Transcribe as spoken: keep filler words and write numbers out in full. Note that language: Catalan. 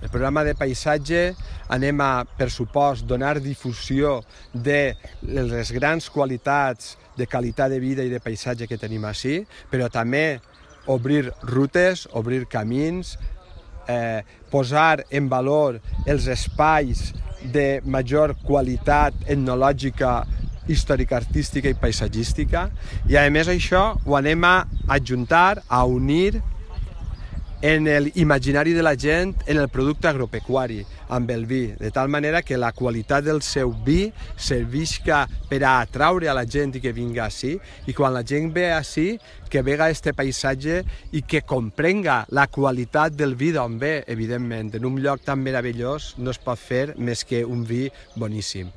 El programa de paisatge anem a, per supost, donar difusió de les grans qualitats de qualitat de vida i de paisatge que tenim ací, però també obrir rutes, obrir camins, eh, posar en valor els espais de major qualitat etnològica, històrica, artística i paisatgística, i a més això ho anem a adjuntar, a unir en l'imaginari de la gent, en el producte agropecuari, amb el vi, de tal manera que la qualitat del seu vi servisca per a atraure a la gent i que vinga ací, i quan la gent ve ací, que vega este paisatge i que comprenga la qualitat del vi d'on ve, evidentment. En un lloc tan meravellós no es pot fer més que un vi boníssim.